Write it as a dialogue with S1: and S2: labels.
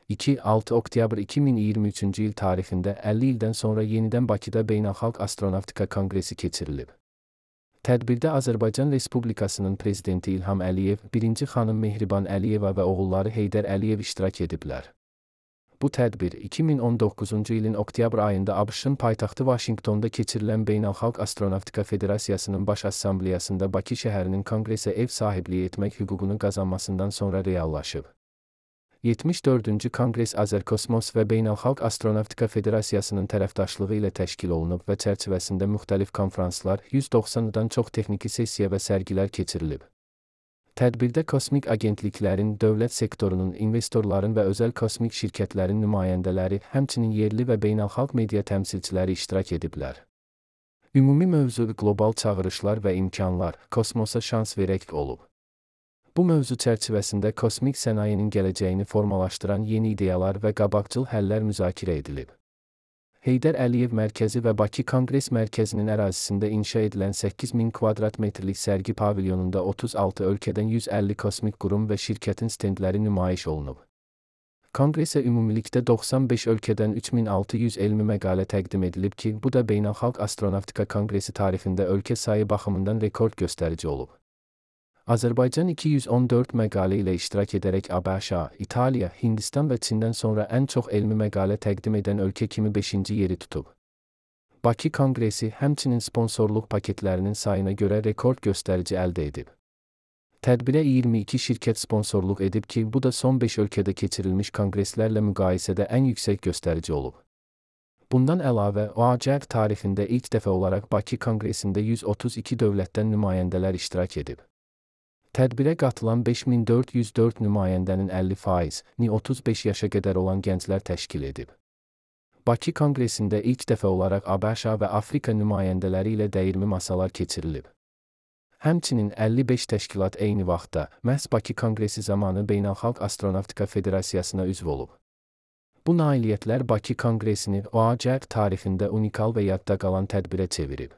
S1: 2-6 oktyabr 2023-cü il tarixində 50 ildən sonra yenidən Bakıda Beynəlxalq Astronavtika Konqresi keçirilib. Tədbirdə Azərbaycan Respublikasının Prezidenti İlham Əliyev, birinci xanım Mehriban Əliyeva və oğulları Heydər Əliyev iştirak ediblər. Bu tədbir 2019-cu ilin oktyabr ayında ABŞ-ın paytaxtı Vaşinqtonda keçirilən Beynəlxalq Astronavtika Federasiyasının Baş Assambleyasında Bakı şəhərinin konqresə ev sahibliyi etmək hüququnu qazanmasından sonra reallaşıb. 74-cü Konqres Azərkosmos və Beynəlxalq Astronavtika Federasiyasının tərəfdaşlığı ilə təşkil olunub və çərçivəsində müxtəlif konfranslar, 190-dan çox texniki sessiya və sərgilər keçirilib. Tədbirdə kosmik agentliklərin, dövlət sektorunun, investorların və özəl kosmik şirkətlərin nümayəndələri, həmçinin yerli və beynəlxalq media təmsilçiləri iştirak ediblər. Ümumi mövzu qlobal çağırışlar və imkanlar, kosmosa şans verək olub. Bu mövzu çərçivəsində kosmik sənayenin gələcəyini formalaşdıran yeni ideyalar və qabaqcıl həllər müzakirə edilib. Heydər Əliyev Mərkəzi və Bakı Konqres Mərkəzinin ərazisində inşa edilən 8000 kvadrat metrlik sərgi pavilyonunda 36 ölkədən 150 kosmik qurum və şirkətin stendləri nümayiş olunub. Konqresə ümumilikdə 95 ölkədən 3600 elmi məqalə təqdim edilib ki, bu da Beynəlxalq Astronavtika Konqresi tarixində ölkə sayı baxımından rekord göstərici olub. Azərbaycan 214 məqalə ilə iştirak edərək ABŞ, İtaliya, Hindistan və Çindən sonra ən çox elmi məqalə təqdim edən ölkə kimi 5-ci yeri tutub. Bakı Konqresi həmçinin sponsorluq paketlərinin sayına görə rekord göstərici əldə edib. Tədbirə 22 şirkət sponsorluq edib ki, bu da son 5 ölkədə keçirilmiş konqreslərlə müqayisədə ən yüksək göstərici olub. Bundan əlavə, OACQ tarixində ilk dəfə olaraq Bakı Konqresində 132 dövlətdən nümayəndələr iştirak edib. Tədbirə qatılan 5404 nümayəndənin 50%-ni 35 yaşa qədər olan gənclər təşkil edib. Bakı Konqresində ilk dəfə olaraq ABŞ və Afrika nümayəndələri ilə dəyirmi masalar keçirilib. Həmçinin 55 təşkilat eyni vaxtda, məhz Bakı Konqresi zamanı Beynəlxalq Astronavtika Federasiyasına üzv olub. Bu nailiyyətlər Bakı Konqresini OACQ tarixində unikal və yadda qalan tədbirə çevirib.